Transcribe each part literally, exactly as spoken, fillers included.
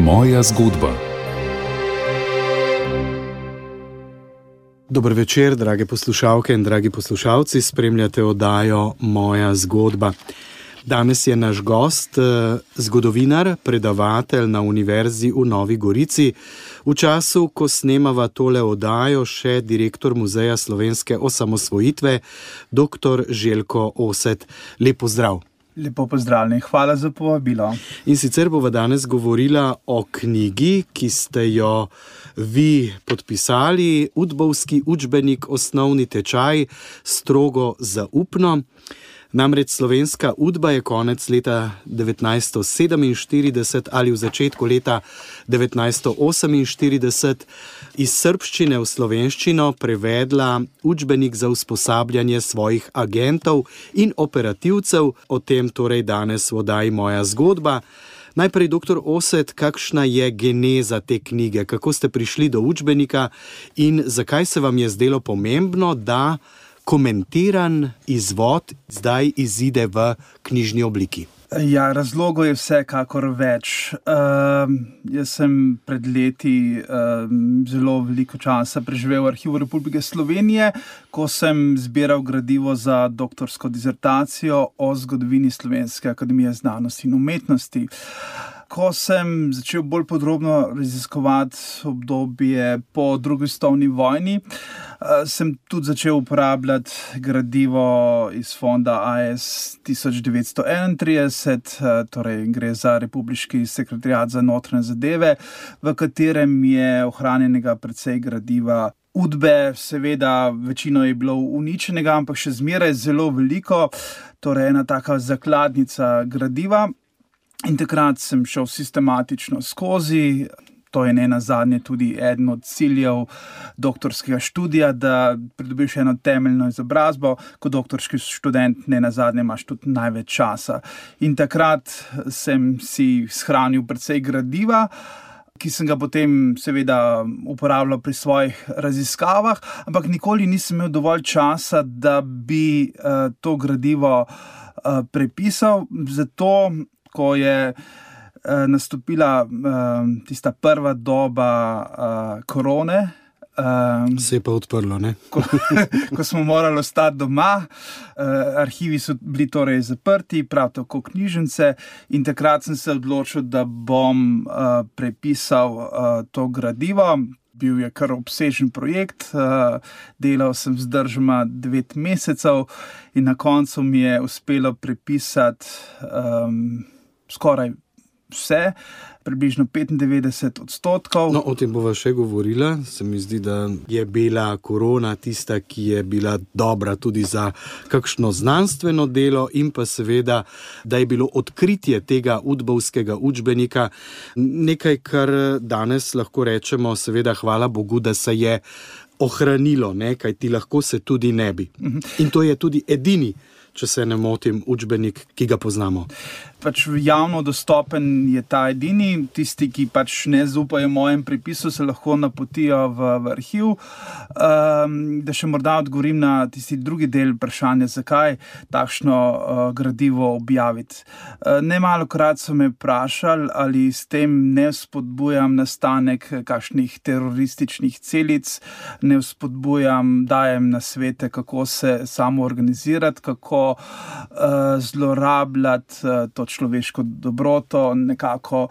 Moja zgodba. Dober večer, drage poslušalke in dragi poslušalci, spremljate oddajo Moja zgodba. Danes je naš gost, zgodovinar, predavatelj na Univerzi v Novi Gorici. V času, ko snemava tole oddajo, še direktor Muzeja slovenske osamosvojitve, doktor Željko Oset. Lep pozdrav. Lepo pozdravljeni, hvala za povabilo. In sicer bova danes govorila o knjigi, ki ste jo vi podpisali, Udbovski učbenik, osnovni tečaj, strogo zaupno. Namreč slovenska Udba je konec leta devetnajststo sedeminštirideset ali v začetku leta devetnajststo oseminštirideset iz srbščine v slovenščino prevedla učbenik za usposabljanje svojih agentov in operativcev. O tem torej danes v oddaji Moja zgodba. Najprej, doktor Oset, kakšna je geneza te knjige? Kako ste prišli do učbenika in zakaj se vam je zdelo pomembno, da komentiran izvod zdaj izide v knjižni obliki? Ja, razlogov je vsekakor več. Uh, jaz sem pred leti uh, zelo veliko časa preživel v Arhivu Republike Slovenije, ko sem zbiral gradivo za doktorsko dizertacijo o zgodovini Slovenske akademije znanosti in umetnosti. Ko sem začel bolj podrobno raziskovati obdobje po drugi svetovni vojni, sem tudi začel uporabljati gradivo iz fonda A S tisoč devetsto enaintrideset, torej gre za Republiški sekretariat za notranje zadeve, v katerem je ohranjenega precej gradiva Udbe. Seveda večino je bilo uničenega, ampak še zmeraj zelo veliko, torej ena taka zakladnica gradiva. In takrat sem šel sistematično skozi, to je ne nazadnje tudi eden od ciljev doktorskega študija, da pridobiš eno temeljno izobrazbo, kot doktorski študent ne nazadnje imaš tudi največ časa. In takrat sem si shranil precej gradiva, ki sem ga potem seveda uporabljal pri svojih raziskavah, ampak nikoli nisem imel dovolj časa, da bi uh, to gradivo uh, prepisal, zato ko je uh, nastopila uh, tista prva doba uh, korone. Uh, Se je pa odprlo, ne? ko, ko smo morali ostati doma, uh, arhivi so bili torej zaprti, prav tako knjižnice, in takrat sem se odločil, da bom uh, prepisal uh, to gradivo. Bil je kar obsežen projekt, uh, delal sem vzdržoma devet mesecev in na koncu mi je uspelo prepisati um, skoraj vse, približno petindevetdeset odstotkov. No, o tem bova še govorila. Se mi zdi, da je bila korona tista, ki je bila dobra tudi za kakšno znanstveno delo in pa seveda, da je bilo odkritje tega udbovskega učbenika nekaj, kar danes lahko rečemo, seveda hvala Bogu, da se je ohranilo, ne, kajti lahko se tudi ne bi. In to je tudi edini, če se ne motim, učbenik, ki ga poznamo. Pač javno dostopen je ta edini, tisti, ki pač ne zaupajo mojem prepisu, se lahko napotijo v, v arhiv. Um, da še morda odgovorim na tisti drugi del vprašanja, zakaj takšno uh, gradivo objaviti. Uh, Nemalokrat so me vprašali, ali s tem ne vzpodbujam nastanek kakšnih terorističnih celic, ne vzpodbujam, dajem nasvete, kako se samo organizirati, kako uh, zlorabljati uh, to človeško dobroto, nekako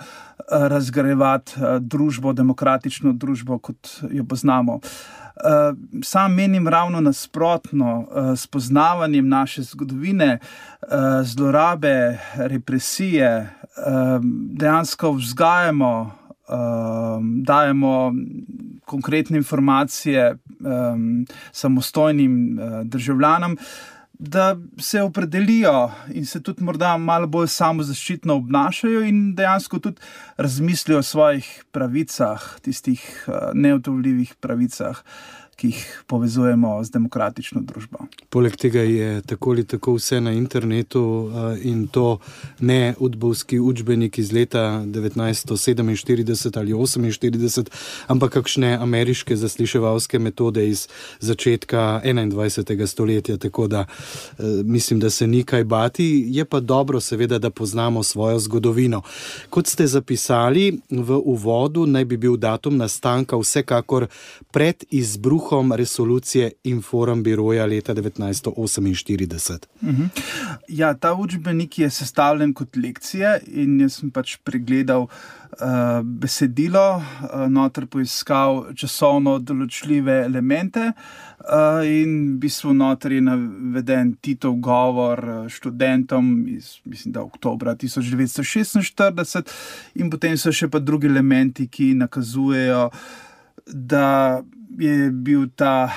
razgrajevati družbo, demokratično družbo, kot jo poznamo. Sam menim ravno nasprotno, s poznavanjem naše zgodovine, zlorabe, represije, dejansko vzgajamo, dajemo konkretne informacije samostojnim državljanom, da se opredelijo in se tudi morda malo bolj samozaščitno obnašajo in dejansko tudi razmislijo o svojih pravicah, tistih neodtujljivih pravicah, ki jih povezujemo z demokratično družbo. Poleg tega je tako ali tako vse na internetu in to ne udbovski učbenik iz leta devetnajststo sedeminštirideset ali oseminštirideset, ampak kakšne ameriške zasliševalske metode iz začetka enaindvajsetega stoletja, tako da mislim, da se ni kaj bati. Je pa dobro seveda, da poznamo svojo zgodovino. Kot ste zapisali v uvodu, naj bi bil datum nastanka vsekakor pred izbruhom resolucije Informbiroja leta devetnajststo oseminštirideset. Uh-huh. Ja, ta učbenik je sestavljen kot lekcije in jaz sem pač pregledal uh, besedilo, uh, noter poiskal časovno določljive elemente uh, in v bistvu noter je naveden Titov govor študentom iz, mislim, da oktobra tisoč devetsto šestinštirideset in potem so še pa drugi elementi, ki nakazujejo, da je bil ta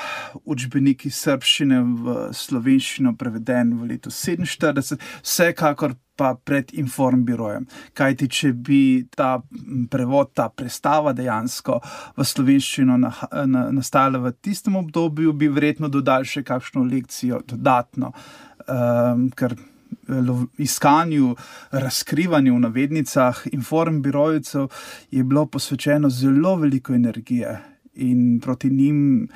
učbenik iz srbščine v slovenščino preveden v letu sedeminštirideset, vsekakor pa pred Informbirojem. Kajti, če bi ta prevod, ta prestava dejansko v slovenščino na, na, nastala v tistem obdobju, bi verjetno dodali še kakšno lekcijo dodatno, um, ker iskanju, razkrivanju v navednicah Informbirojcev je bilo posvečeno zelo veliko energije. In proti njim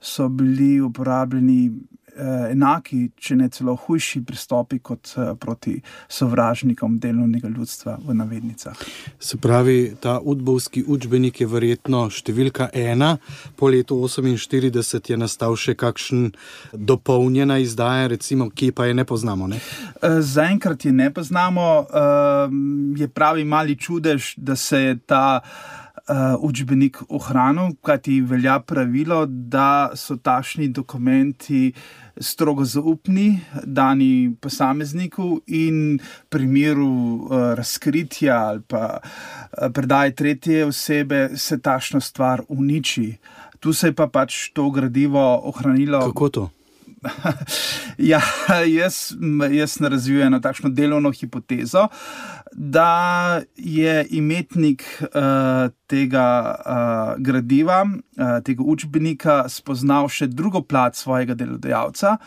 so bili uporabljeni eh, enaki, če ne celo hujši pristopi kot eh, proti sovražnikom delovnega ljudstva v navednicah. Se pravi, ta udbovski učbenik je verjetno številka ena, po letu oseminštirideset je nastal še kakšen dopolnjena izdaja, recimo, ki pa je ne poznamo, ne? Eh, zaenkrat je ne poznamo, eh, je pravi mali čudež, da se je ta Uh, učbenik ohranil, kajti velja pravilo, da so takšni dokumenti strogo zaupni, dani posamezniku in v primeru uh, razkritja ali pa uh, predaje tretje osebe se takšna stvar uniči. Tu se je pa pač to gradivo ohranilo. Kako to? Ja, jaz, jaz razvijujem eno takšno delovno hipotezo, da je imetnik uh, tega uh, gradiva, uh, tega učbenika spoznal še drugo plat svojega delodajalca,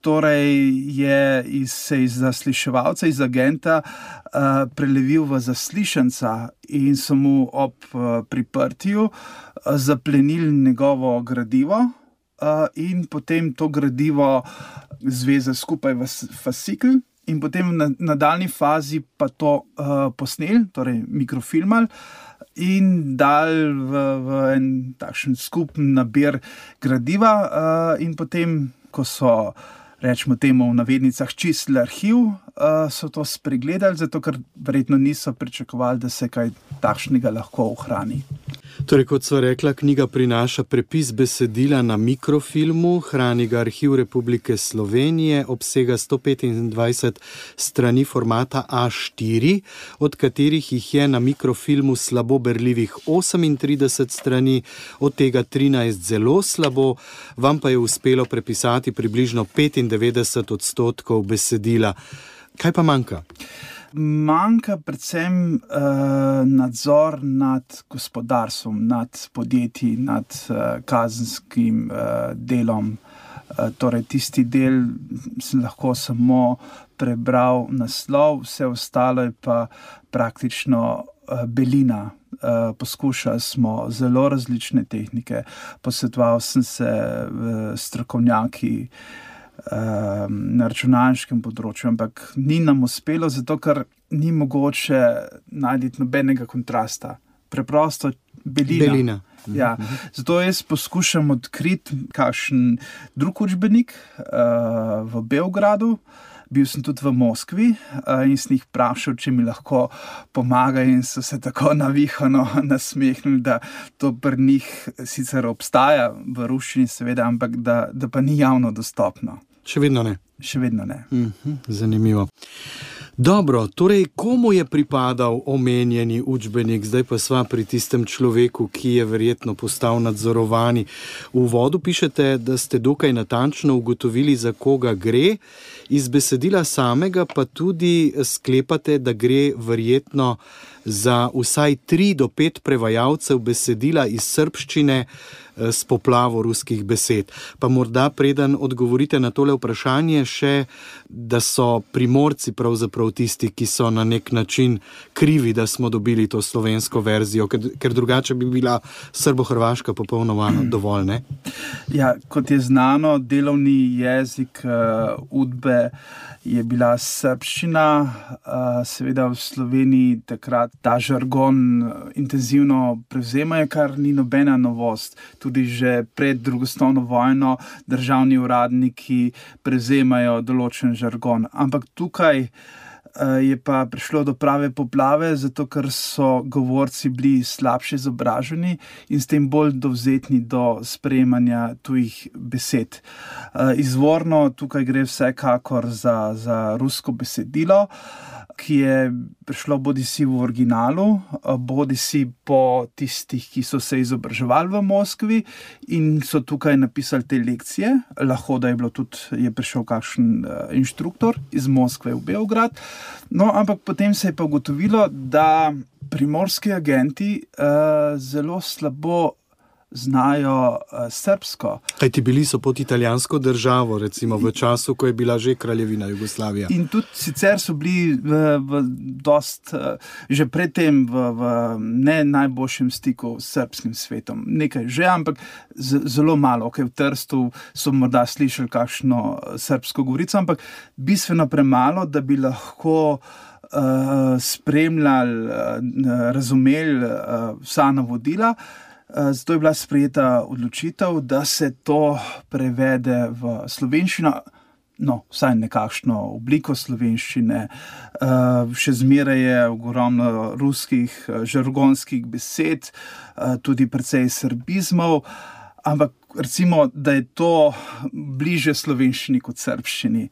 torej je iz, se iz zasliševalca, iz agenta uh, prelevil v zaslišanca in so mu ob uh, priprtju uh, zaplenili njegovo gradivo. Uh, in potem to gradivo zveze skupaj v fascikl in potem v nadaljni fazi pa to uh, posnel, torej mikrofilmal in dal v, v en takšen skupen nabir gradiva uh, in potem, ko so, rečemo temu v navednicah, čistili arhiv, uh, so to spregledali, zato ker verjetno niso pričakovali, da se kaj takšnega lahko ohrani. Torej, kot so rekla, knjiga prinaša prepis besedila na mikrofilmu, hrani ga Arhiv Republike Slovenije, obsega sto petindvajset strani formata A štiri, od katerih jih je na mikrofilmu slabo berljivih osemintrideset strani, od tega trinajst zelo slabo, vam pa je uspelo prepisati približno petindevetdeset odstotkov besedila. Kaj pa manjka? Manjka predvsem uh, nadzor nad gospodarstvom, nad podjetji, nad uh, kazenskim uh, delom. Uh, torej, tisti del sem lahko samo prebral naslov, vse ostalo je pa praktično uh, belina. Uh, poskušali smo zelo različne tehnike, posvetoval sem se uh, strokovnjaki na računalniškem področju, ampak ni nam uspelo, zato ker ni mogoče najti nobenega kontrasta. Preprosto belina. Belina. Ja. Zato jaz poskušam odkriti kakšen drug učbenik uh, v Beogradu. Bil sem tudi v Moskvi uh, in sem jih vprašal, če mi lahko pomaga in so se tako navihano nasmehnili, da to pri njih sicer obstaja v ruščini seveda, ampak da, da pa ni javno dostopno. Še vedno ne. Še vedno ne. Mhm, zanimivo. Dobro, torej komu je pripadal omenjeni učbenik? Zdaj pa sva pri tistem človeku, ki je verjetno postal nadzorovani. V uvodu pišete, da ste dokaj natančno ugotovili, za koga gre. Iz besedila samega pa tudi sklepate, da gre verjetno za vsaj tri do pet prevajalcev besedila iz srbščine s poplavo ruskih besed. Pa morda preden odgovorite na tole vprašanje še, da so Primorci pravzaprav tisti, ki so na nek način krivi, da smo dobili to slovensko verzijo, ker, ker drugače bi bila srbo-hrvaška popolnoma dovolj, ne? Ja, kot je znano, delovni jezik uh, Udbe je bila srbščina, uh, seveda v Sloveniji takrat ta žargon intenzivno prevzemajo, kar ni nobena novost. Tudi že pred drugo svetovno vojno državni uradniki prevzemajo določen žargon. Ampak tukaj je pa prišlo do prave poplave, zato ker so govorci bili slabše izobraženi in s tem bolj dovzetni do sprejemanja tujih besed. Izvorno tukaj gre vsekakor za, za rusko besedilo, ki je prišlo bodisi v originalu, bodisi po tistih, ki so se izobraževali v Moskvi in so tukaj napisali te lekcije. Lahko, da je bilo tudi, je prišel kakšen inštruktor iz Moskve v Beograd. No, ampak potem se je pa ugotovilo, da primorski agenti uh, zelo slabo znajo uh, srbsko. Kajti bili so pod italijansko državo, recimo v času, ko je bila že kraljevina Jugoslavija. In tudi sicer so bili v, v dost, uh, že predtem v, v ne najboljšem stiku s srbskim svetom. Nekaj že, ampak z, zelo malo. Okay, v Trstu so morda slišali kakšno srbsko govorico, ampak bistveno premalo, da bi lahko uh, spremljali, uh, razumeli uh, vsa navodila. Zato je bila sprejeta odločitev, da se to prevede v slovenščino, no, vsaj nekakšno obliko slovenščine. Še zmeraj je ogromno ruskih žargonskih besed, tudi precej srbizmov, ampak recimo, da je to bliže slovenščini kot srbščini.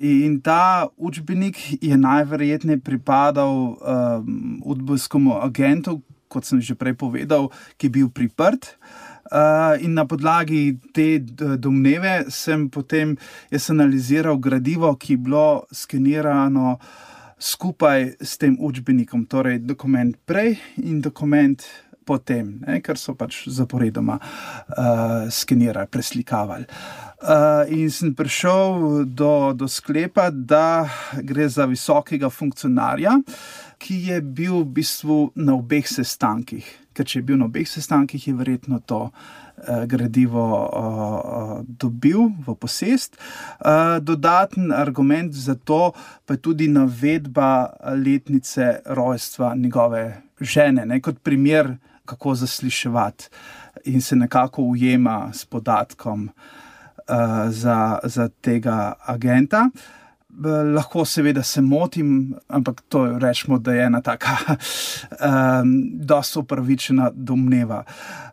In ta učbenik je najverjetneje pripadal um, udbovskemu agentu, kot sem že prej povedal, ki je bil priprt. Uh, in na podlagi te domneve sem potem jaz analiziral gradivo, ki je bilo skenirano skupaj s tem učbenikom, torej dokument prej in dokument potem, ne, ker so pač zaporedoma uh, skenirali, preslikavali. Uh, in sem prišel do, do sklepa, da gre za visokega funkcionarja, ki je bil v bistvu na obeh sestankih. Ker če je bil na obeh sestankih, je verjetno to uh, gradivo uh, dobil v posest. Uh, dodaten argument za to pa je tudi navedba letnice rojstva njegove žene, ne, kot primer, kako zasliševati in se nekako ujema s podatkom uh, za, za tega agenta. Lahko seveda se motim, ampak to rečemo, da je ena taka um, dosti upravičena domneva.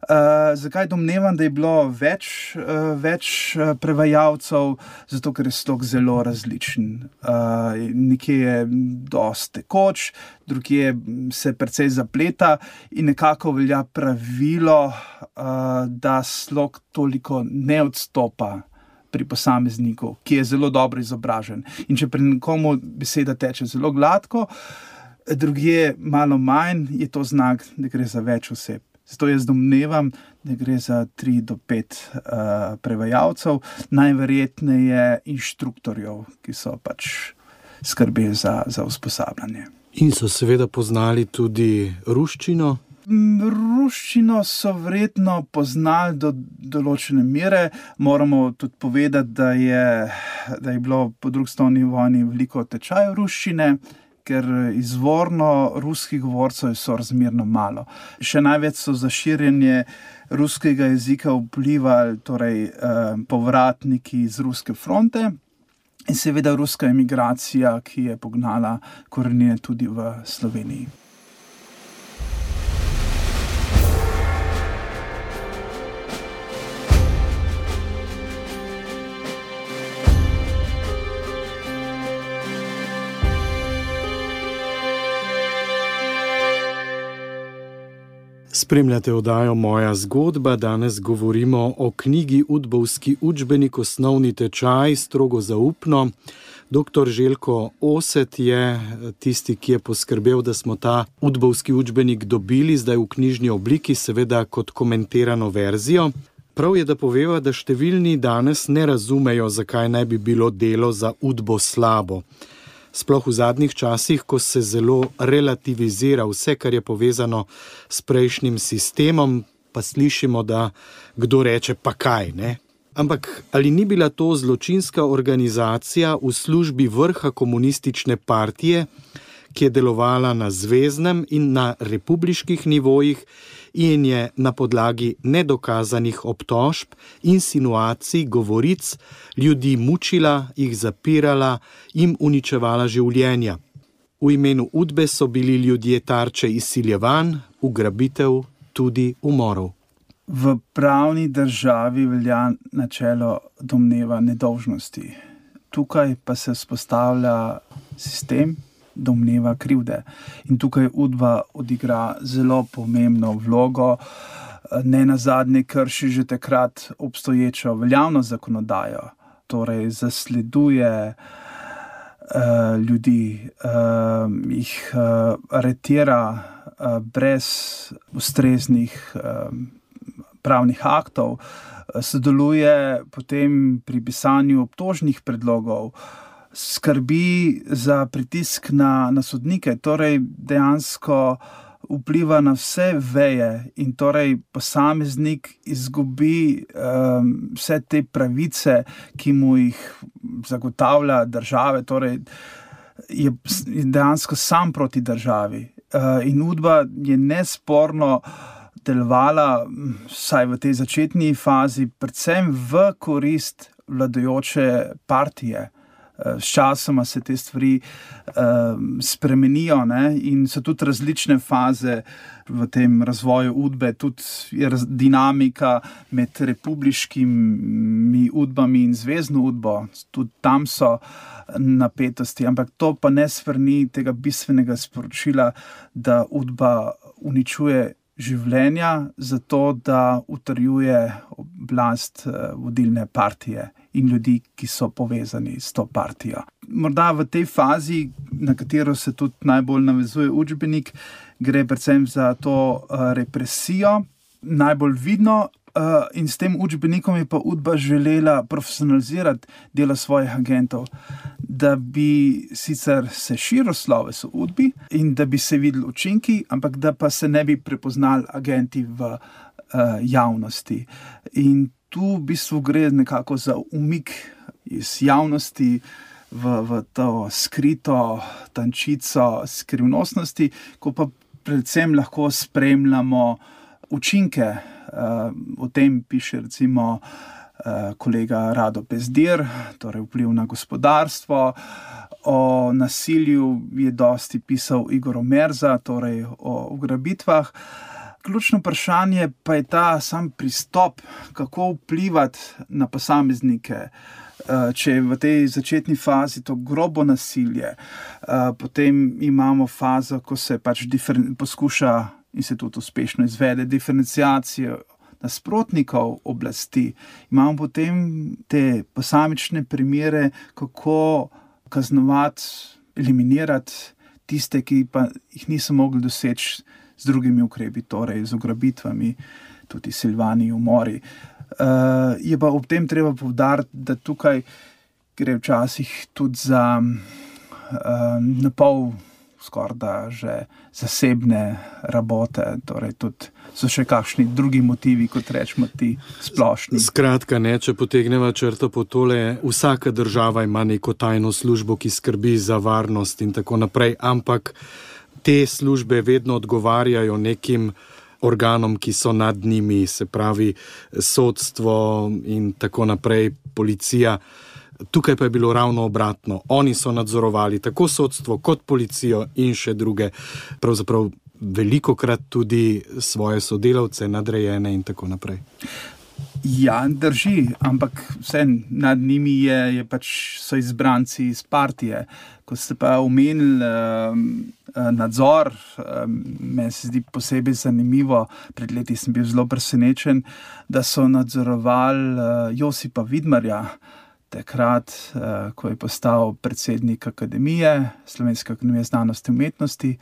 Uh, zakaj domnevam, da je bilo več, uh, več prevajalcev? Zato, ker je slog zelo različen. Uh, nekje je dosti tekoč, drugje se precej zapleta in nekako velja pravilo, uh, da slog toliko ne odstopa pri posamezniku, ki je zelo dobro izobražen. In če pri nekomu beseda teče zelo gladko, drugje malo manj, je to znak, da gre za več oseb. Zato jaz domnevam, da gre za tri do pet uh, prevajalcev, najverjetneje inštruktorjev, ki so pač skrbeli za, za usposabljanje. In so seveda poznali tudi ruščino? Ruščino so verjetno poznali do določene mere. Moramo tudi povedati, da je, da je bilo po drugi svetovni vojni veliko tečajev ruščine, ker izvorno ruskih govorcev je sorazmerno malo. Še največ so za širjenje ruskega jezika vplivali torej, eh, povratniki z ruske fronte in seveda ruska emigracija, ki je pognala korenine tudi v Sloveniji. Spremljate oddajo Moja zgodba, danes govorimo o knjigi Udbovski učbenik, osnovni tečaj, strogo zaupno. Doktor Željko Oset je tisti, ki je poskrbel, da smo ta Udbovski učbenik dobili, zdaj v knjižni obliki, seveda kot komentirano verzijo. Prav je, da poveva, da številni danes ne razumejo, zakaj ne bi bilo delo za Udbo slabo. Sploh v zadnjih časih, ko se zelo relativizira vse, kar je povezano s prejšnjim sistemom, pa slišimo, da kdo reče, pa kaj, ne? Ampak ali ni bila to zločinska organizacija v službi vrha komunistične partije, ki je delovala na zveznem in na republiških nivojih in je na podlagi nedokazanih obtožb, insinuacij, govoric ljudi mučila, jih zapirala, jim uničevala življenja. V imenu Udbe so bili ljudje tarče izsiljevanj, ugrabitev, tudi umorov. V pravni državi velja načelo domneva nedolžnosti. Tukaj pa se vzpostavlja sistem domneva krivde. In tukaj Udba odigra zelo pomembno vlogo, ne nazadnje krši že takrat obstoječo veljavno zakonodajo, torej zasleduje uh, ljudi, uh, jih uh, aretira uh, brez ustreznih uh, pravnih aktov, uh, sodeluje potem pri pisanju obtožnih predlogov, skrbi za pritisk na, na sodnike, torej dejansko vpliva na vse veje in torej posameznik izgubi um, vse te pravice, ki mu jih zagotavlja države, torej je dejansko sam proti državi. Uh, in Udba je nesporno delovala, vsaj v tej začetni fazi, predvsem v korist vladajoče partije. S časoma se te stvari uh, spremenijo, ne? In so tudi različne faze v tem razvoju Udbe, tudi je dinamika med republiškimi Udbami in zvezno Udbo, tudi tam so napetosti, ampak to pa ne svrni tega bistvenega sporočila, da Udba uničuje življenja zato, da utrjuje oblast vodilne partije in ljudi, ki so povezani s to partijo. Morda v tej fazi, na katero se tudi najbolj navezuje učbenik, gre predvsem za to uh, represijo, najbolj vidno, uh, in s tem učbenikom je pa Udba želela profesionalizirati delo svojih agentov, da bi sicer se širil sloves v Udbi in da bi se videli učinki, ampak da pa se ne bi prepoznali agenti v uh, javnosti. In tu v bistvu gre nekako za umik iz javnosti v, v to skrito tančico skrivnostnosti, ko pa predvsem lahko spremljamo učinke. Uh, o tem piše recimo uh, kolega Rado Pezdir, torej vpliv na gospodarstvo. O nasilju je dosti pisal Igor Omerza, torej o ugrabitvah. Ključno vprašanje pa je ta sam pristop, kako vplivati na posameznike. Če je v tej začetni fazi to grobo nasilje, potem imamo fazo, ko se pač diferen, poskuša in se tudi uspešno izvede diferenciacijo nasprotnikov oblasti. Imamo potem te posamične primere, kako kaznovati, eliminirati tiste, ki pa jih niso mogli doseči z drugimi ukrepi, torej z ugrabitvami, tudi silvani, umori. Uh, je pa ob tem treba poudariti, da tukaj gre včasih tudi za uh, napol skoraj da že zasebne rabote, torej tudi so še kakšni drugi motivi, kot rečemo ti splošni. Skratka, ne, če potegneva črto po tole, vsaka država ima neko tajno službo, ki skrbi za varnost in tako naprej, ampak te službe vedno odgovarjajo nekim organom, ki so nad njimi, se pravi sodstvo in tako naprej, policija. Tukaj pa je bilo ravno obratno. Oni so nadzorovali tako sodstvo kot policijo in še druge, pravzaprav velikokrat tudi svoje sodelavce, nadrejene in tako naprej. Ja, drži, ampak vse nad njimi je, je pač so izbranci iz partije. Ko ste pa omenili um, nadzor, um, meni se zdi posebej zanimivo, pred leti sem bil zelo presenečen, da so nadzorovali uh, Josipa Vidmarja, takrat, uh, ko je postal predsednik Akademije, Slovenske akademije znanosti in umetnosti,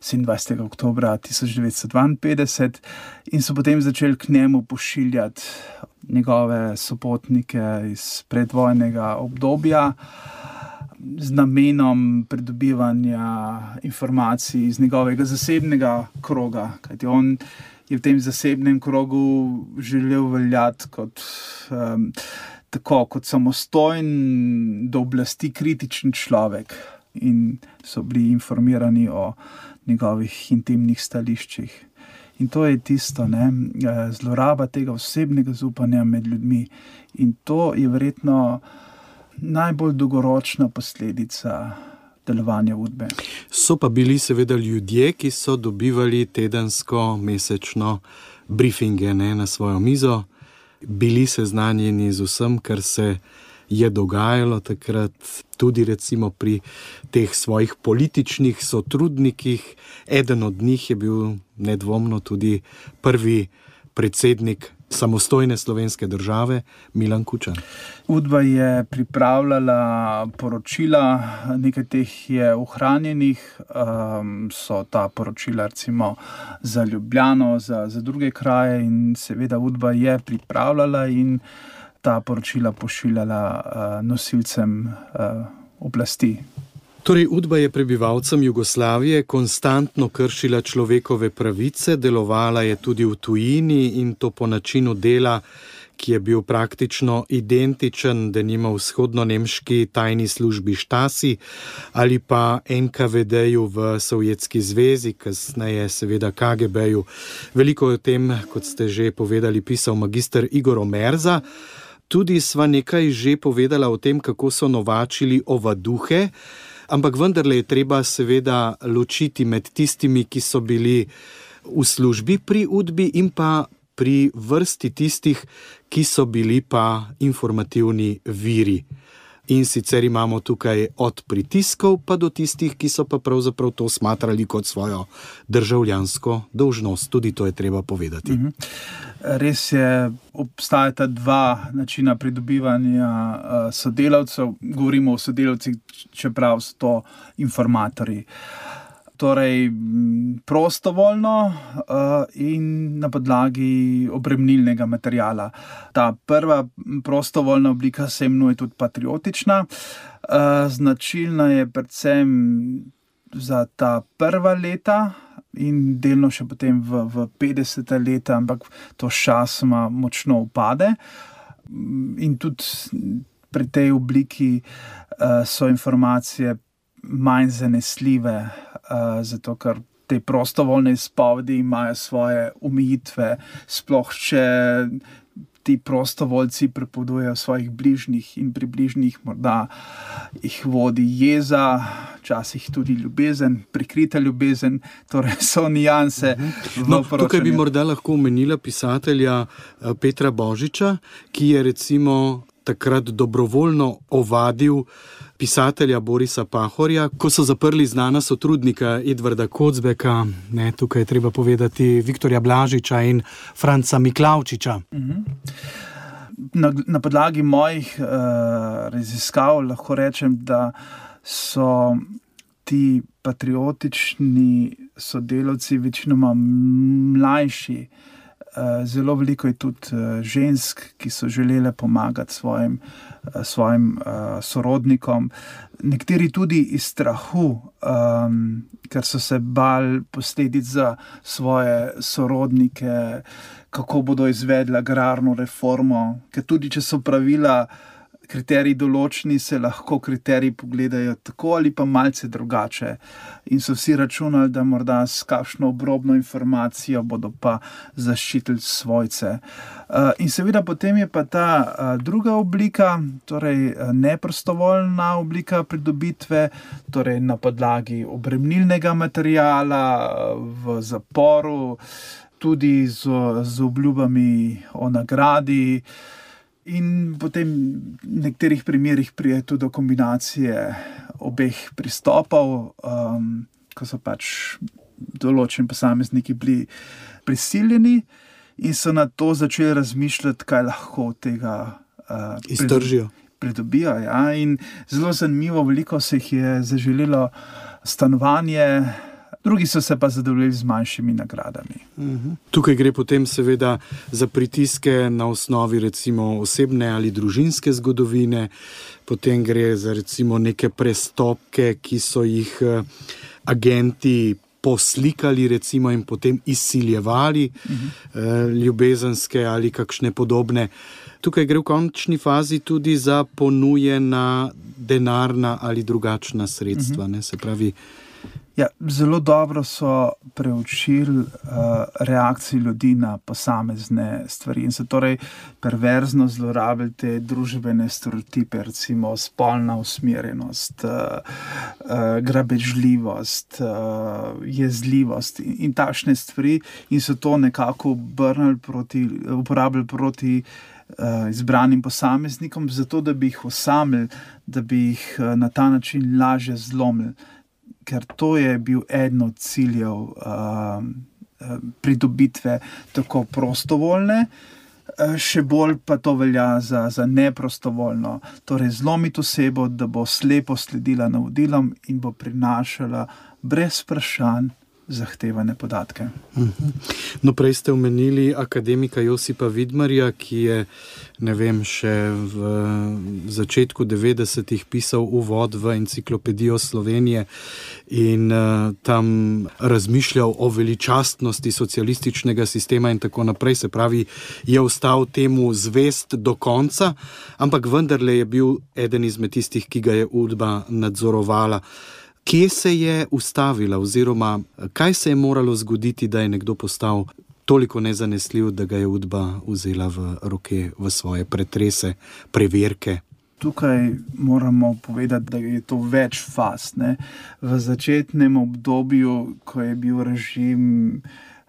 sedemindvajsetega oktobra tisoč devetsto dvainpetdeset, in so potem začeli k njemu pošiljati njegove sopotnike iz predvojnega obdobja z namenom pridobivanja informacij iz njegovega zasebnega kroga, kajti on je v tem zasebnem krogu želel veljati kot um, tako kot samostojen, do oblasti kritičen človek, in so bili informirani o njegovih intimnih stališčih. In to je tisto, ne, zloraba tega osebnega zaupanja med ljudmi. In to je verjetno najbolj dolgoročna posledica delovanja Udbe. So pa bili seveda ljudje, ki so dobivali tedensko, mesečno briefinge, ne, na svojo mizo, bili seznanjeni z vsem, kar se je dogajalo takrat, tudi recimo pri teh svojih političnih sotrudnikih. Eden od njih je bil nedvomno tudi prvi predsednik samostojne slovenske države, Milan Kučan. Udba je pripravljala poročila, nekaj teh je ohranjenih, um, so ta poročila recimo za Ljubljano, za, za druge kraje, in seveda Udba je pripravljala in ta poročila pošiljala uh, nosilcem uh, oblasti. Torej, Udba je prebivalcem Jugoslavije konstantno kršila človekove pravice, delovala je tudi v tujini, in to po načinu dela, ki je bil praktično identičen denimo vzhodno-nemški tajni službi Stasi ali pa en ka ve deju v Sovjetski zvezi, kasneje seveda ka ge beju. Veliko o tem, kot ste že povedali, pisal magister Igor Omerza. Tudi sva nekaj že povedala o tem, kako so novačili ovaduhe, ampak vendarle je treba seveda ločiti med tistimi, ki so bili v službi pri Udbi, in pa pri vrsti tistih, ki so bili pa informativni viri. In sicer imamo tukaj od pritiskov pa do tistih, ki so pa pravzaprav to smatrali kot svojo državljansko dolžnost. Tudi to je treba povedati. Mhm. Res je, obstajata dva načina pridobivanja uh, sodelavcev. Govorimo o sodelavcih, čeprav so to informatorji. Torej prostovoljno uh, in na podlagi obremnilnega materiala. Ta prva prostovoljna oblika se imenuje tudi patriotična. Uh, značilna je predvsem za ta prva leta in delno še potem v, v petdeseta leta, ampak to sčasoma močno upade. In tudi pri tej obliki uh, so informacije manj zanesljive, uh, zato ker te prostovoljne izpovedi imajo svoje omejitve, sploh če ti prostovoljci prepovedujejo svojih bližnjih, in pri bližnjih morda jih vodi jeza, včasih tudi ljubezen, prikrita ljubezen, torej so nianse v no, poročanju. Tukaj bi morda lahko omenila pisatelja Petra Božiča, ki je recimo takrat dobrovoljno ovadil pisatelja Borisa Pahorja, ko so zaprli znana sotrudnika Edvarda Kocbeka, ne, tukaj je treba povedati Viktorja Blažiča in Franca Miklavčiča. Na, na podlagi mojih uh, raziskav lahko rečem, da so ti patriotični sodelavci večinoma mlajši. Zelo veliko je tudi žensk, ki so želele pomagati svojim, svojim uh, sorodnikom. Nekateri tudi iz strahu, um, ker so se bali posledic za svoje sorodnike, kako bodo izvedli agrarno reformo, ker tudi če so pravila, kriteriji določeni, se lahko kriteriji pogledajo tako ali pa malce drugače. In so vsi računali, da morda s kakšno obrobno informacijo bodo pa zaščitili svojce. In seveda potem je pa ta druga oblika, torej neprostovoljna oblika pridobitve, torej na podlagi obremnilnega materiala v zaporu. tudi z, z obljubami o nagradi. In potem v nekaterih primerih pride tudi do kombinacije obeh pristopov, um, ko so pač določeni posamezniki bili prisiljeni in so na to začeli razmišljati, kaj lahko od tega uh, iztržijo. pridobijo. Ja. In zelo zanimivo, veliko se jih je zaželelo stanovanje, drugi so se pa zadovoljili z manjšimi nagradami. Uhum. Tukaj gre potem seveda za pritiske na osnovi recimo osebne ali družinske zgodovine, potem gre za recimo neke prestopke, ki so jih agenti poslikali recimo in potem izsiljevali, uhum. ljubezenske ali kakšne podobne. Tukaj gre v končni fazi tudi za ponujena denarna ali drugačna sredstva, uhum. ne, se pravi. Ja, zelo dobro so preučili uh, reakcije ljudi na posamezne stvari in so torej perverzno zlorabili te družbene stereotipe, recimo spolna usmerjenost, uh, uh, grabežljivost, uh, jezljivost in, in takšne stvari in so to nekako obrnili proti, uporabili proti uh, izbranim posameznikom, zato da bi jih osamili, da bi jih uh, na ta način lažje zlomili. Ker to je bil eden od ciljev uh, pridobitve tako prostovoljne, uh, še bolj pa to velja za, za neprostovoljno. Torej zlomiti osebo, da bo slepo sledila navodilom in bo prinašala brez vprašanj zahtevane podatke. No, prej ste omenili akademika Josipa Vidmarja, ki je, ne vem, še v začetku devetdesetih pisal uvod v enciklopedijo Slovenije in uh, tam razmišljal o veličastnosti socialističnega sistema in tako naprej, se pravi, je ostal temu zvest do konca, ampak vendarle je bil eden izmed tistih, ki ga je Udba nadzorovala. Kje se je ustavila oziroma kaj se je moralo zgoditi, da je nekdo postal toliko nezanesljiv, da ga je Udba vzela v roke, v svoje pretrese, preverke? Tukaj moramo povedati, da je to več faz, ne. V začetnem obdobju, ko je bil režim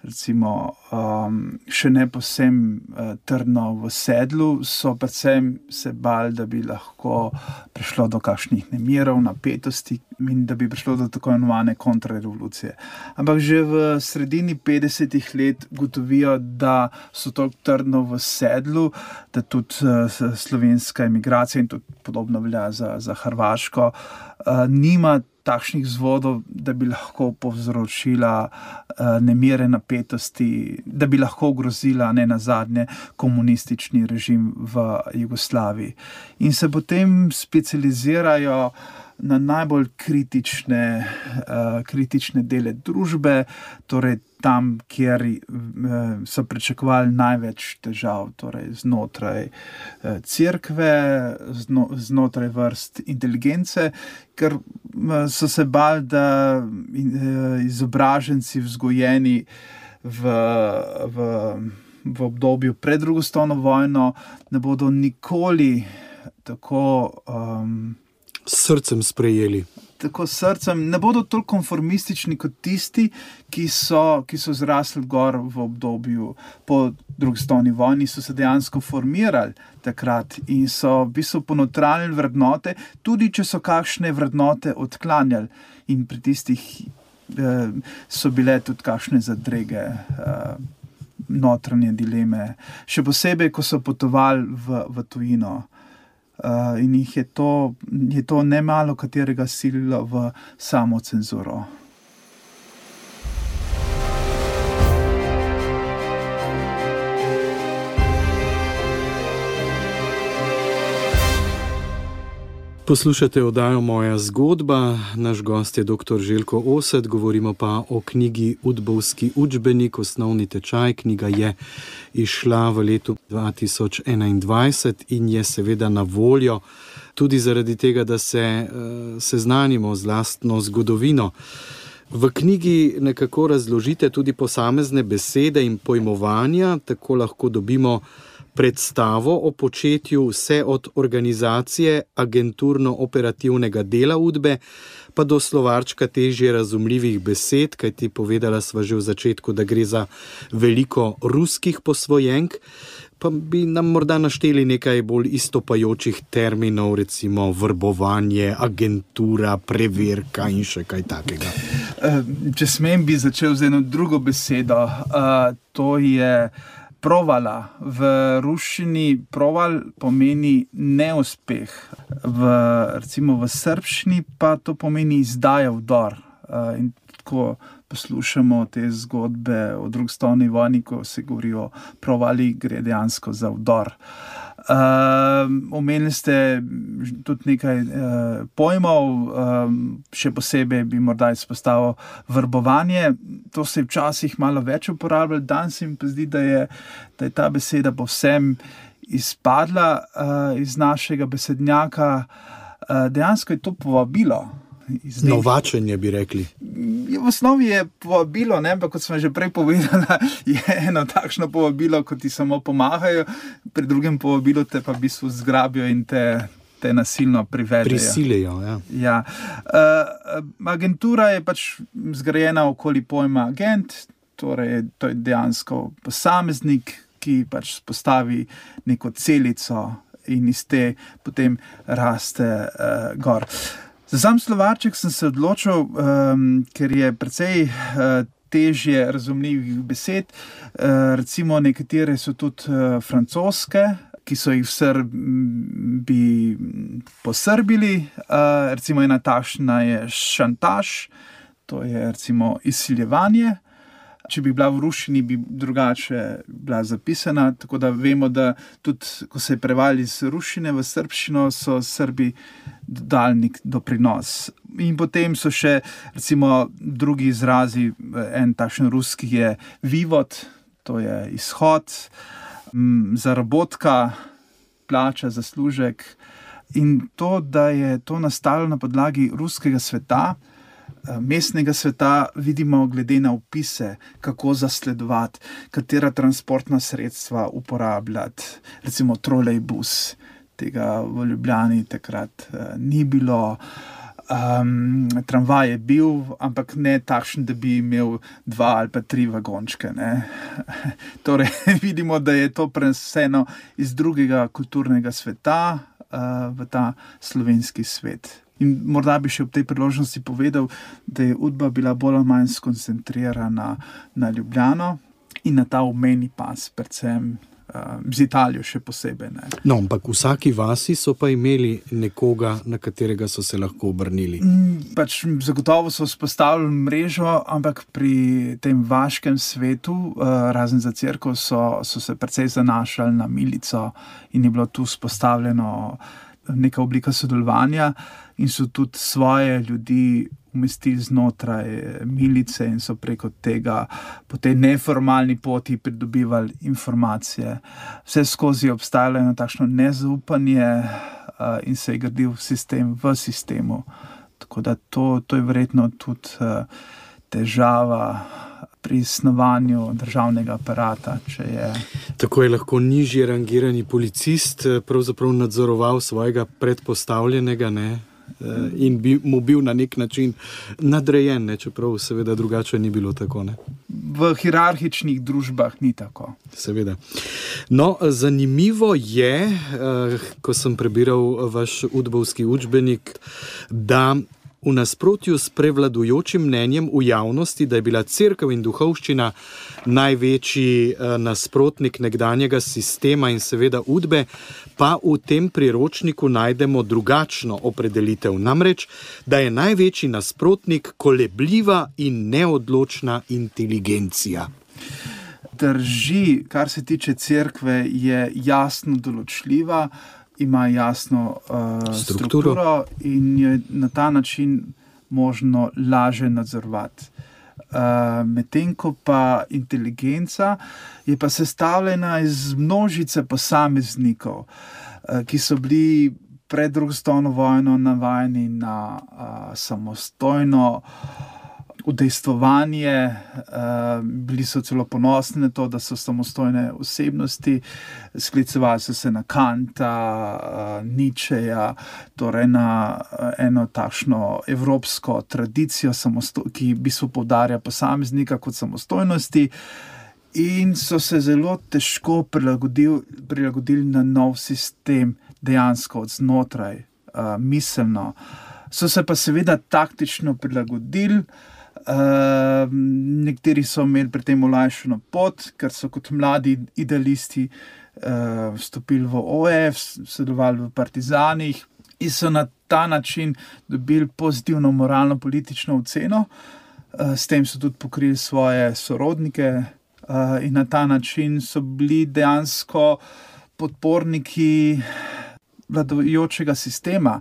recimo um, še ne povsem uh, trdno v sedlu, so predvsem se bali, da bi lahko prišlo do kakšnih nemirov, napetosti in da bi prišlo do tako imenovane kontrarevolucije. Ampak že v sredini petdesetih let gotovijo, da so toliko trdno v sedlu, da tudi uh, slovenska emigracija in tudi podobno velja za, za Hrvaško, uh, nima takšnih vzvodov, da bi lahko povzročila uh, nemire napetosti, da bi lahko ogrozila ne nazadnje komunistični režim v Jugoslaviji. In se potem specializirajo na najbolj kritične, uh, kritične dele družbe, torej tam, kjer uh, so pričakovali največ težav, torej znotraj uh, cerkve, zno, znotraj vrst inteligence, ker uh, so se bali, da uh, izobraženci vzgojeni v, v, v obdobju pred drugo svetovno vojno ne bodo nikoli tako um, s srcem sprejeli. Tako srcem, ne bodo toliko konformistični kot tisti, ki so, ki so zrasli gor v obdobju po drugi svetovni vojni, so se dejansko formirali takrat in so v bistvu ponotranjili vrednote, tudi če so kakšne vrednote odklanjali. In pri tistih eh, so bile tudi kakšne zadrege, eh, notranje dileme. Še posebej, ko so potovali v, v tujino. Uh, in jih je to, je to nemalo katerega sililo v samo cenzuro. Poslušate oddajo Moja zgodba, naš gost je doktor Željko Osed, govorimo pa o knjigi Udbovski učbenik, osnovni tečaj. Knjiga je izšla v letu dva tisoč enaindvajset in je seveda na voljo tudi zaradi tega, da se uh, seznanimo z lastno zgodovino. V knjigi nekako razložite tudi posamezne besede in pojmovanja, tako lahko dobimo predstavo o početju vse od organizacije agenturno-operativnega dela Udbe, pa do slovarčka težje razumljivih besed, kajti povedala sva že v začetku, da gre za veliko ruskih posvojenk, pa bi nam morda našteli nekaj bolj istopajočih terminov, recimo vrbovanje, agentura, preverka in še kaj takega. Če smem, bi začel z eno drugo besedo. To je provala. V ruščini proval pomeni neuspeh. V, recimo v srbščini pa to pomeni izdaja, vdor. In tako poslušamo te zgodbe o drugi svetovni vojni, ko se govori o provali, gre dejansko za vdor. Uh, omenili ste tudi nekaj uh, pojmov, um, še posebej bi morda izpostavil vrbovanje. To se je včasih malo več uporabljalo, danes mi pa zdi, da je, da je ta beseda povsem izpadla uh, iz našega besednjaka. Uh, dejansko je to povabilo. Zdaj, novačenje bi rekli. V osnovi je povabilo, ne? Pa kot sem že prej povedala, je eno takšno povabilo, ko ti samo pomahajo, pri drugem povabilu te pa v bistvu zgrabijo in te, te nasilno privedejo. Prisilijo, ja. Ja. Uh, agentura je pač zgrajena okoli pojma agent, torej to je dejansko posameznik, ki pač postavi neko celico in iz te potem raste uh, gor. Za sam slovarček sem se odločil, um, ker je precej uh, težje razumljivih besed. Uh, recimo nekatere so tudi uh, francoske, ki so jih v Srbi posrbili. Uh, recimo ena takšna je šantaž, to je recimo izsiljevanje. Če bi bila v ruščini, bi drugače bila zapisana, tako da vemo, da tudi, ko se je prevali iz ruščine v srbščino, so Srbi dodali nek doprinos. In potem so še, recimo, drugi izrazi, en takšen ruski je vivod, to je izhod, zarabotka, plača, zaslužek. In to, da je to nastalo na podlagi ruskega sveta, mestnega sveta, vidimo glede na opise, kako zasledovati, katera transportna sredstva uporabljati. Recimo trolejbus, tega v Ljubljani takrat uh, ni bilo. Um, tramvaj je bil, ampak ne takšen, da bi imel dva ali pa tri vagončke. Ne? Torej, vidimo, da je to preneseno iz drugega kulturnega sveta uh, v ta slovenski svet. In morda bi še ob tej priložnosti povedal, da je Udba bila bolj ali manj skoncentrirana na Ljubljano in na ta obmejni pas, predvsem uh, z Italijo še posebej. Ne. No, ampak v vsaki vasi so pa imeli nekoga, na katerega so se lahko obrnili. Mm, pač zagotovo so vzpostavili mrežo, ampak pri tem vaškem svetu, uh, razen za cerkev, so, so se precej zanašali na milico in je bilo tu vzpostavljeno neka oblika sodelovanja in so tudi svoje ljudi umestili znotraj milice in so preko tega po tej neformalni poti pridobivali informacije. Vse skozi je obstajalo eno takšno nezaupanje uh, in se je gradil sistem v sistemu. Tako da to, to je verjetno tudi uh, težava pri snovanju državnega aparata, če je... Tako je lahko nižje rangirani policist pravzaprav nadzoroval svojega predpostavljenega, ne? In bi mu bil na nek način nadrejen, ne? Čeprav seveda drugače ni bilo tako, ne? V hierarhičnih družbah ni tako. Seveda. No, zanimivo je, ko sem prebiral vaš udbovski učbenik, da v nasprotju s prevladujočim mnenjem v javnosti, da je bila cerkev in duhovščina največji nasprotnik nekdanjega sistema in seveda Udbe, pa v tem priročniku najdemo drugačno opredelitev. Namreč, da je največji nasprotnik kolebljiva in neodločna inteligencija. Drži, kar se tiče cerkve, je jasno določljiva, ima jasno uh, strukturo. strukturo in je na ta način možno laže nadzorovati. Uh, medtem ko pa inteligenca je pa sestavljena iz množice posameznikov, uh, ki so bili pred drugo svetovno vojno navajeni na uh, samostojno udejstvovanje, bili so celo ponosni na to, da so samostojne osebnosti, sklicevali so se na Kanta, Nietzscheja, torej na eno takšno evropsko tradicijo, ki v bistvu poudarja posameznika kot samostojnosti, in so se zelo težko prilagodili, prilagodili na nov sistem, dejansko od znotraj, miselno. So se pa seveda taktično prilagodili. Uh, nekateri so imeli pri tem olajšano pot, ker so kot mladi idealisti uh, vstopili v O F, sodelovali v partizanih in so na ta način dobili pozitivno moralno-politično oceno. Uh, s tem so tudi pokrili svoje sorodnike uh, in na ta način so bili dejansko podporniki vladajočega sistema.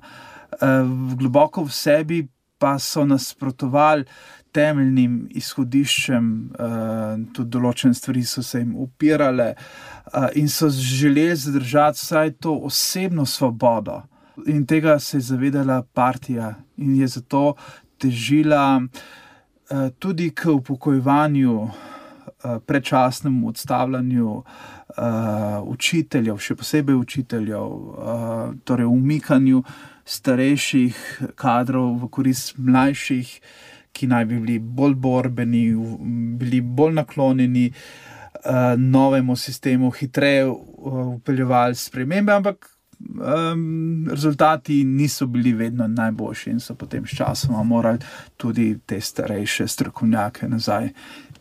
Uh, globoko v sebi pa so nasprotovali temeljnim izhodiščem, uh, tudi določene stvari so se jim upirale uh, in so želeli zadržati vsaj to osebno svobodo. In tega se je zavedala partija in je zato težila uh, tudi k upokojevanju, uh, predčasnemu odstavljanju uh, učiteljev, še posebej učiteljev, uh, torej umikanju starejših kadrov v korist mlajših, ki naj bi bili bolj borbeni, bili bolj naklonjeni uh, novemu sistemu, hitreje vpeljevali spremembe, ampak um, rezultati niso bili vedno najboljši in so potem s časoma morali tudi te starejše strokovnjake nazaj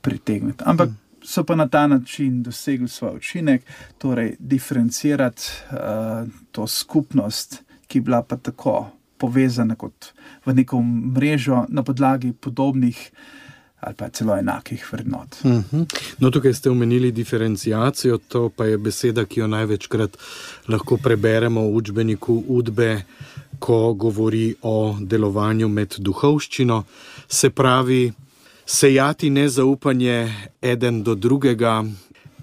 pritegniti. Ampak so pa na ta način dosegli svoj učinek, torej diferencirati uh, to skupnost, ki je bila pa tako povezana kot v neko mrežo na podlagi podobnih ali pa celo enakih vrednot. Uh-huh. No, tukaj ste omenili diferenciacijo, to pa je beseda, ki jo največkrat lahko preberemo v učbeniku Udbe, ko govori o delovanju med duhovščino. Se pravi, sejati nezaupanje eden do drugega,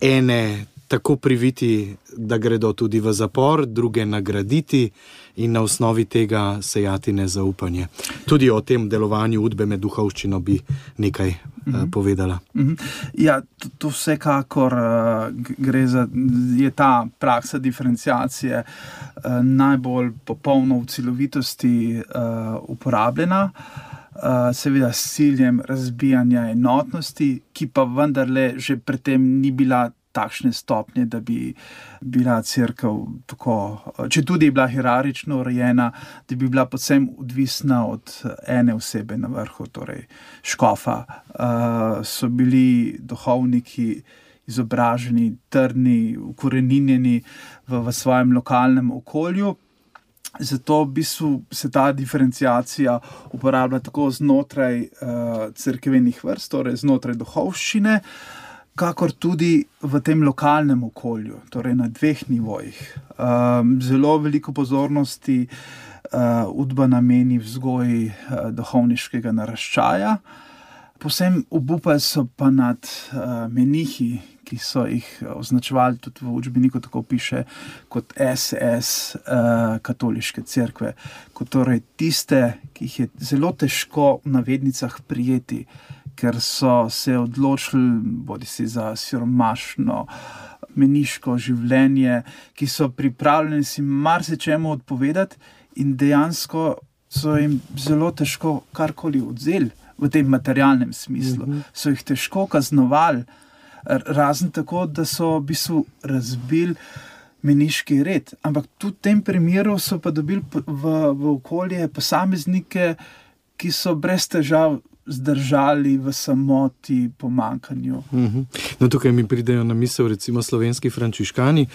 ene tako priviti, da gredo tudi v zapor, druge nagraditi in na osnovi tega sejati nezaupanje. Tudi o tem delovanju Udbe med duhovščino bi nekaj mm-hmm. uh, povedala. Mm-hmm. Ja, to, to vsekakor uh, gre za, je ta praksa diferenciacije uh, najbolj popolno v celovitosti uh, uporabljena. Uh, seveda s ciljem razbijanja enotnosti, ki pa vendarle že predtem ni bila takšne stopnje, da bi bila cerkev tako, če tudi je bila hierarhično urejena, da bi bila povsem odvisna od ene osebe na vrhu, torej škofa. Uh, so bili duhovniki izobraženi, trdni, ukoreninjeni v, v svojem lokalnem okolju. Zato v bistvu se ta diferenciacija uporablja tako znotraj uh, cerkevenih vrst, torej znotraj duhovščine, kakor tudi v tem lokalnem okolju, torej na dveh nivojih. Um, zelo veliko pozornosti uh, Udba nameni vzgoji uh, duhovniškega naraščaja. Povsem obupali so pa nad uh, menihi, ki so jih označevali tudi v učbeniku, tako piše, kot S S uh, katoliške cerkve, kot torej tiste, ki jih je zelo težko v navednicah prijeti, ker so se odločili bodisi za siromašno meniško življenje, ki so pripravljeni si marsičemu odpovedati in dejansko so jim zelo težko karkoli odzeli v tem materialnem smislu. Mm-hmm. So jih težko kaznovali, razen tako, da so v bistvu razbili meniški red. Ampak tudi v tem primeru so pa dobili v, v okolje posameznike, ki so brez težav zdržali v samoti, pomankanju. Uh-huh. No, tukaj mi pridejo na misel recimo slovenski frančiškani.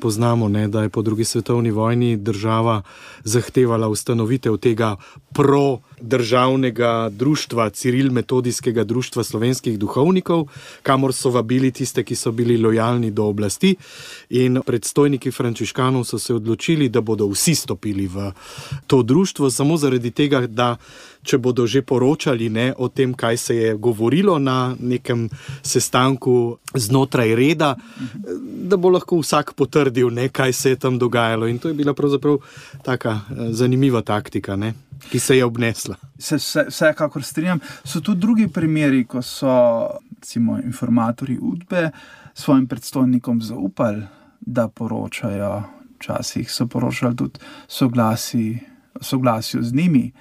Poznamo, ne, da je po drugi svetovni vojni država zahtevala ustanovitev tega pro-državnega društva, Ciril-metodijskega društva slovenskih duhovnikov, kamor so vabili tiste, ki so bili lojalni do oblasti, in predstojniki frančiškanov so se odločili, da bodo vsi stopili v to društvo, samo zaradi tega, da če bodo že poročali, ne, o tem, kaj se je govorilo na nekem sestanku znotraj reda, da bo lahko vsak potrdil, ne, kaj se je tam dogajalo. In to je bila pravzaprav taka zanimiva taktika, ne. Ki se je obnesla. Se vsekakor strinjam. So tudi drugi primeri, ko so recimo informatorji Udbe svojim predstojnikom zaupali, da poročajo, včasih so poročali tudi soglasi, soglasju z njimi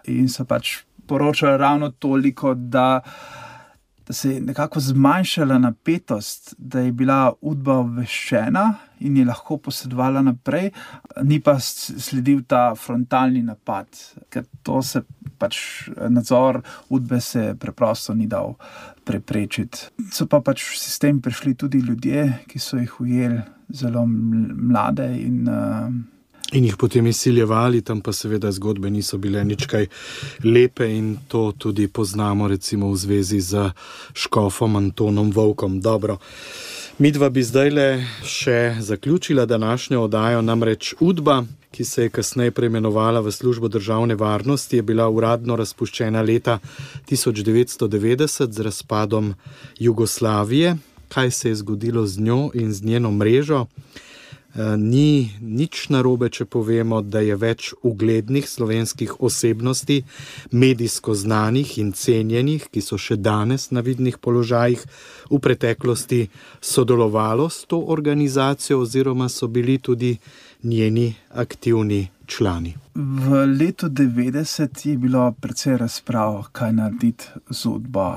in so pač poročali ravno toliko, da da se je nekako zmanjšala napetost, da je bila Udba obveščena in je lahko posredovala naprej, ni pa sledil ta frontalni napad, ker to se pač nadzor Udbe se preprosto ni dal preprečiti. So pa pač v sistem prišli tudi ljudje, ki so jih ujeli zelo mlade in uh, In jih potem izsiljevali, tam pa seveda zgodbe niso bile nič kaj lepe in to tudi poznamo recimo v zvezi z škofom Antonom Volkom. Dobro, midva bi zdajle še zaključila današnjo oddajo, namreč Udba, ki se je kasneje preimenovala v Službo državne varnosti, je bila uradno razpuščena leta tisoč devetsto devetdeset z razpadom Jugoslavije. Kaj se je zgodilo z njo in z njeno mrežo? Ni nič narobe, če povemo, da je več uglednih slovenskih osebnosti, medijsko znanih in cenjenih, ki so še danes na vidnih položajih, v preteklosti sodelovalo s to organizacijo oziroma so bili tudi njeni aktivni člani. V letu devetdeset je bilo precej razprav, kaj narediti z Udbo,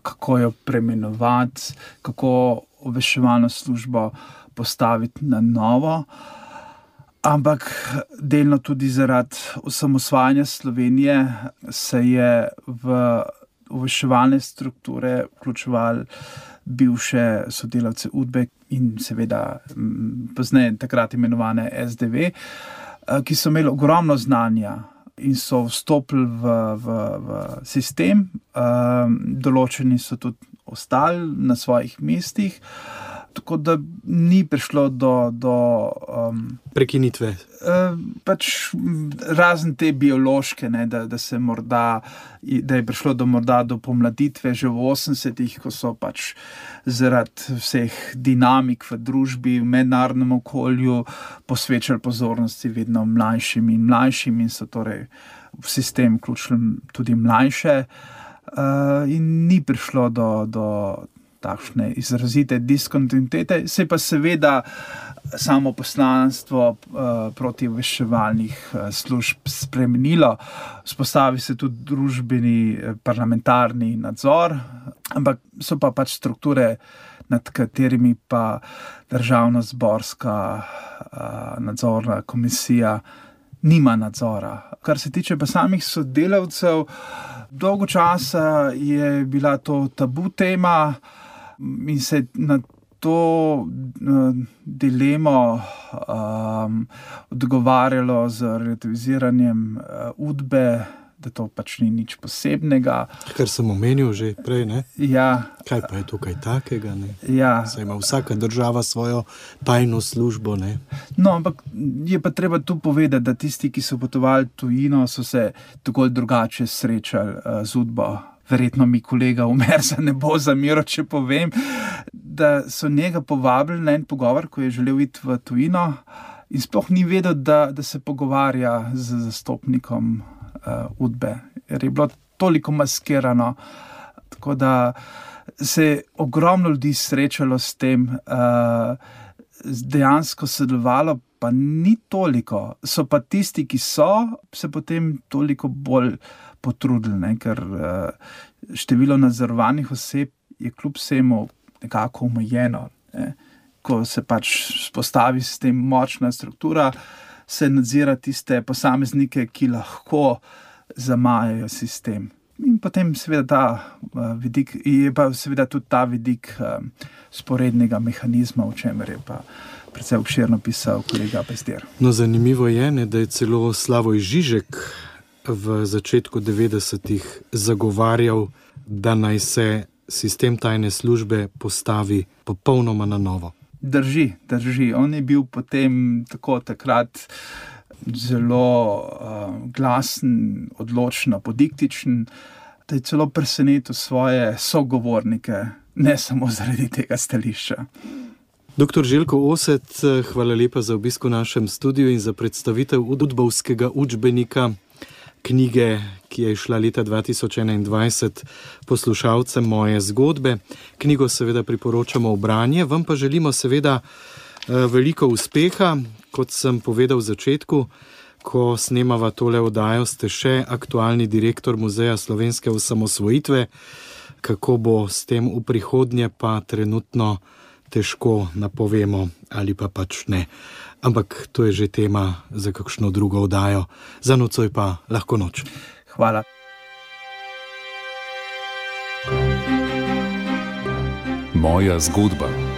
kako jo preimenovati, kako obveščevalno službo postaviti na novo, ampak delno tudi zaradi osamosvajanja Slovenije se je v obveščevalne strukture vključevali bivše sodelavce Udbe in seveda pozneje takrat imenovane S D V, ki so imeli ogromno znanja in so vstopili v, v, v sistem, določeni so tudi ostali na svojih mestih, tako da ni prišlo do, do um, prekinitve. Uh, pač razen te biološke, ne, da, da se morda, da je prišlo do morda do pomladitve že v osemdesetih, ko so pač zaradi vseh dinamik v družbi, v mednarodnem okolju posvečali pozornosti vedno mlajšim in mlajšim in so torej v sistem vključili tudi mlajše uh, in ni prišlo do, do takšne izrazite diskontinuitete, se pa seveda samo poslanstvo uh, proti obveščevalnih uh, služb spremenilo. Vzpostavi se tudi družbeni uh, parlamentarni nadzor, ampak so pa pač strukture, nad katerimi pa državno-zborska uh, nadzorna komisija nima nadzora. Kar se tiče pa samih sodelavcev, dolgo časa je bila to tabu tema, in se na to uh, dilemo um, odgovarjalo z relativiziranjem uh, Udbe, da to pač ni nič posebnega. Kar sem omenil že prej, ne? Ja. Kaj pa je tukaj takega, ne? Ja. Saj ima vsaka država svojo tajno službo, ne? No, ampak je pa treba tu povedati, da tisti, ki so potovali tujino, so se tako drugače srečali uh, z Udbo. Verjetno mi kolega Umerza ne bo zamiral, če povem, da so njega povabili na en pogovor, ko je želel iti v tujino in sploh ni vedel, da, da se pogovarja z zastopnikom uh, Udbe, jer je bilo toliko maskirano, tako da se je ogromno ljudi srečalo s tem, uh, dejansko sodelovalo pa ni toliko, so pa tisti, ki so, se potem toliko bolj potrudili, ne? Ker uh, število nadzorovanih oseb je kljub vsemu nekako omejeno. Ne? Ko se pač spostavi s tem močna struktura, se nadzira tiste posameznike, ki lahko zamajajo sistem. In potem seveda ta uh, vidik, je pa seveda tudi ta vidik uh, sporednega mehanizma, o čemer je pa precej obširno pisal kolega Pezdir. No, zanimivo je, ne, da je celo Slavoj Žižek v začetku devetdesetih zagovarjal, da naj se sistem tajne službe postavi popolnoma na novo. Drži, drži. On je bil potem tako takrat zelo uh, glasen, odločen, apodiktičen, da je celo presenetil svoje sogovornike, ne samo zaradi tega stališča. Doktor Željko Oset, hvala lepa za obisk v našem studiu in za predstavitev udbovskega učbenika. knjige, ki je išla leta dva tisoč enaindvajset poslušalcem moje zgodbe. Knjigo seveda priporočamo v branje, vam pa želimo seveda veliko uspeha. Kot sem povedal v začetku, ko snemava tole oddajo, ste še aktualni direktor Muzeja slovenske osamosvojitve. Kako bo s tem v prihodnje, pa trenutno težko napovemo ali pa pač ne. Ampak to je že tema za kakšno drugo oddajo. Za nocoj pa lahko noč. Hvala. Moja zgodba.